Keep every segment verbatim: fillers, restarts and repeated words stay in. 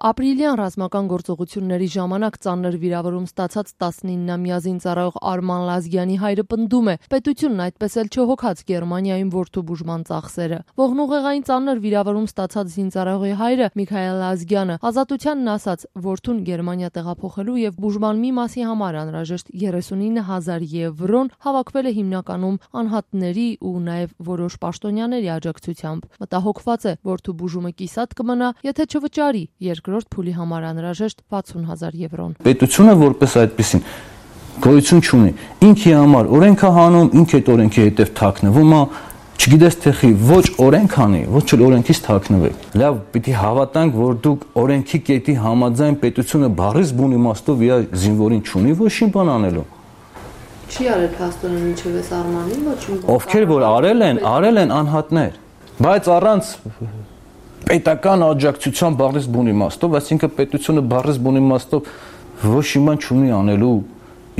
Ապրիլյան ռազմական գործողությունների ժամանակ ծանր վիրավորում ստացած տասնիննամյա զինծառայող Արման Լազգյանի հայրը պնդում է, պետությունն այդպես էլ չհոգաց Գերմանիայում որդու բուժման ծախսերը։ Ողնուղեղային ծանր վիրավորում ստացած զինծառայողի հայրը Միքայել Լազգյանը Ազատությանն ասաց, որդուն Գերմանիա տեղափոխելու եւ բուժման մի մասի համար անհրաժեշտ երեսունինը հազար եվրոն հավաքվել է հիմնականում անհատների ու նաեւ որոշ պաշտոնյաների աջակցությամբ։ Մտահոգված է, որդու բուժումը կիսատ կմնա, եթե չվճարի երկրորդ փուլի համար անհրաժեշտ վաթսուն հազար եվրոն։ Պետությունը որպես այդպեսին գոյություն չունի։ Ինքի համար օրենքը հանում, ինքը այդ օրենքի հետև թաքնվում է, չգիտես թե խի ոչ օրենք անի, ոչ էլ օրենքից թաքնվեք։ Լավ, պիտի հավատանք, որ դուք օրենքի կետի համաձայն պետությունը բառից բուն իմաստով իր զինվորին չունի ոչինչ բան անելու։ Չի արել փաստորեն ինչևէ Արմանին ոչինչ։ Ովքեր որ արել են, արել են անհատներ, բայց առանց պետական աջակցության բառից բուն իմաստով, այսինքն պետությունը բառից բուն իմաստով ոչ մի բան չունի անելու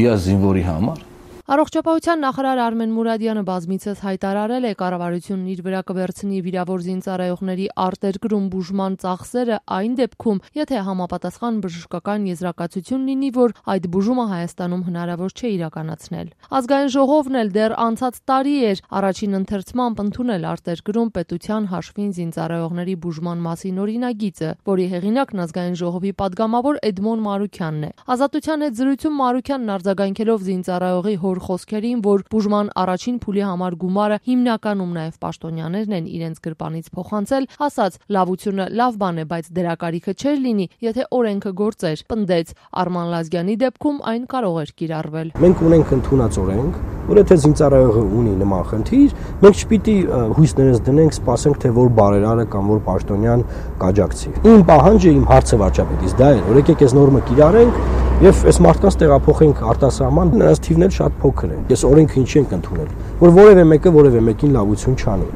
իր զինվորի համար։ Առողջապահության նախարար Արմեն Մուրադյանը բազմիցս հայտարարել է, կառավարությունն իր վրա կվերցնի վիրավոր զինծառայողների արտերկրում բուժման ծախսերը այն դեպքում, եթե համապատասխան բժշկական եզրակացություն լինի, որ այդ բուժումը Հայաստանում հնարավոր չէ իրականացնել։ Ազգային ժողովն էլ դեռ անցած տարի էր առաջին ընթերցմամբ ընդունել արտերկրում պետության հաշվին զինծառայողների բուժման մասին օրինագիծը, որի հեղինակն Ազգային ժողովի падգամավոր Էդմոն Մարուքյանն է։ Ազատության հետ զրույցում Մարուքյանն արձագանքելով զինծառայողի հոր խոսքերին, որ բուժման առաջին փուլի համար գումարը հիմնականում նաև պաշտոնյաներն են իրենց գրպանից փոխանցել, ասաց, լավությունը լավ բան է, բայց դրա կարիքը չէր լինի, եթե օրենքը գործեր, պնդեց, Արման Լազգյանի դեպքում այն կարող էր կիրառվել։ Մենք ունենք ընդունած օրենք, որ եթե զինծառայողը ունի նման խնդիր, մենք չպիտի հույսներս դնենք, սպասենք, թե որ բարերարը կամ որ պաշտոնյան կաջակցի։ Իմ պահանջը, իմ հարցը վարչապետից դա է, որ եկեք այս նորմը կիրառենք եւ այս մարդկանց տեղափոխենք արտասահման, նրանց թիվն էլ շատ փոքր է։ Ես օրենքը ինչի ենք ընդունել, որ որևէ մեկը որևէ մեկին լավություն չանի։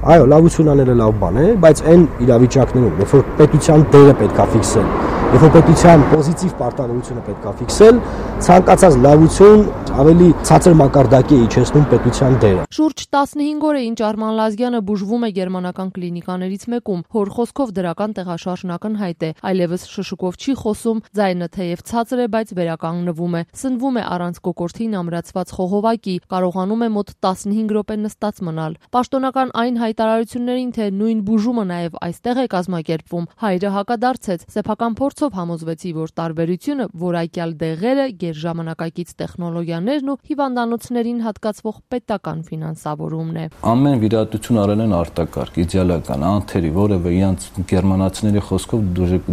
Այո, լավություն անելը լավ բան է, բայց այն իրավիճակներում, երբ որ պետության դերը պետք է ֆիքսել, երբ որ պետության պոզիտիվ պարտավորությունը պետք է ֆիքսել, ցանկացած լավություն ավելի ցածր մակարդակի է իջեցնում պետության դերը։ Շուրջ տասնհինգ օր է ինչ Արման Լազգյանը բուժվում է գերմանական կլինիկաներից մեկում, հոր խոսքով դրական տեղաշարժն ակնհայտ է, այլևս շշուկով չի խոսում, ձայնը թեև ցածր է, բայց վերականգնվում է, սնվում է առանց կոկորդին ամրացված խողովակի, կարողանում է մոտ տասնհինգ րոպե նստած մնալ։ Պաշտոնական այն հայտարարություններին, թե նույն բուժումը նաև այստեղ է կազմակերպվում, հայրը հակադարձեց, սեփական փորձով համոզվեցի, որ տարբերությունը որակյալ դեղերը, գերժամանակակից տեխնոլոգիաներն ու հիվանդանոցներին հատկացվող պետական ֆինանսավորումն է։ Ամեն վիրահատություն արել են արտակարգ, իդեալական, անթերի, որևէ իրանց գերմանացիների խոսքով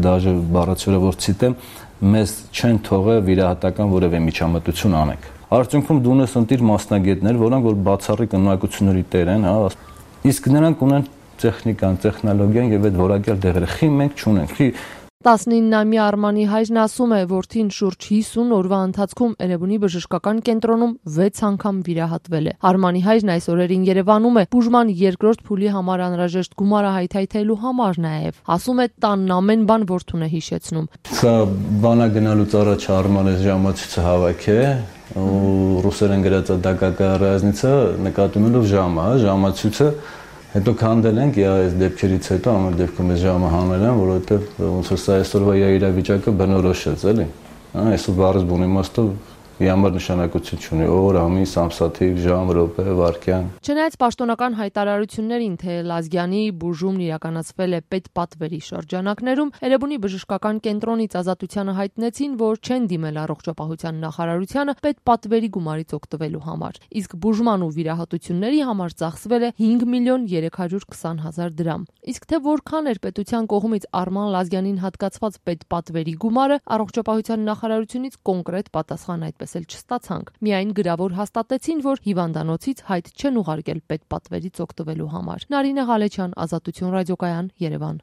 դաժե բառացիորը որ ցիտեմ, մեզ չեն թողել վիրահատական որևէ միջամտություն անենք։ Արդյունքում դու ունես ընտիր մասնագետներ, որոնք որ բացառիկ նույնականությունների տեր են, հա, իսկ նրանք ունեն տեխնիկան, տեխնոլոգիան եւ այդ որակյալ դեղերը։ Խի մենք չունենք։ Խի տասնիննամյա Արմանի հայրն ասում է, որդին շուրջ հիսուն օրվա ընթացքում Էրեբունի բժշկական կենտրոնում վեց անգամ վիրահատվել է։ Արմանի հայրն այս օրերին Երևանում է բուժման երկրորդ փուլի համար անհրաժեշտ գումարը հայթայթելու համար նաև։ Ասում է, տանն ամեն բան որդուն է հիշեցնում։ Սա բանա գնալուց առաջ Արմանը ժամացույցը հավաք է ու ռուսերեն գրած դակակա ռազնիցը նկատումելով ժամը, ժամացույցը հետո քանդել ենք այս դեպքերից հետո ամեն դեպքում այս ժամը հանել են, որովհետև ոնց որ սա այսօրվա իրավիճակը բնորոշեց, էլի։ Հա, այսօր բառից բուն իմաստով Ямар նշանակություն չունի օր, ամիս, ամսաթիվ, ժամ, րոպե, վայրկյան։ Չնայած պաշտոնական հայտարարություններին, թե Լազգյանի բուժումն իրականացվել է պետպատվերի շրջանակներում, Էրեբունի բժշկական կենտրոնից Ազատությանը հայտնեցին, որ չեն դիմել առողջապահության նախարարությանը պետպատվերի գումարից օգտվելու համար, իսկ բուժման ու վիրահատությունների համար ծախսվել է հինգ միլիոն երեք հարյուր քսան հազար դրամ։ Իսկ թե որքան էր պետության կողմից Արման Լազգյանին հատկացված պետպատվերի գումարը, առողջապահության նախարարությունից կոնկրետ պատասխան այդպես էլ չստացանք։ Միայն գրավոր հաստատեցին, որ հիվանդանոցից հայտ չեն ուղարկել պետպատվերից օգտվելու համար։ Նարինե Ղալեչյան, Ազատություն ռադիոկայան, Երևան։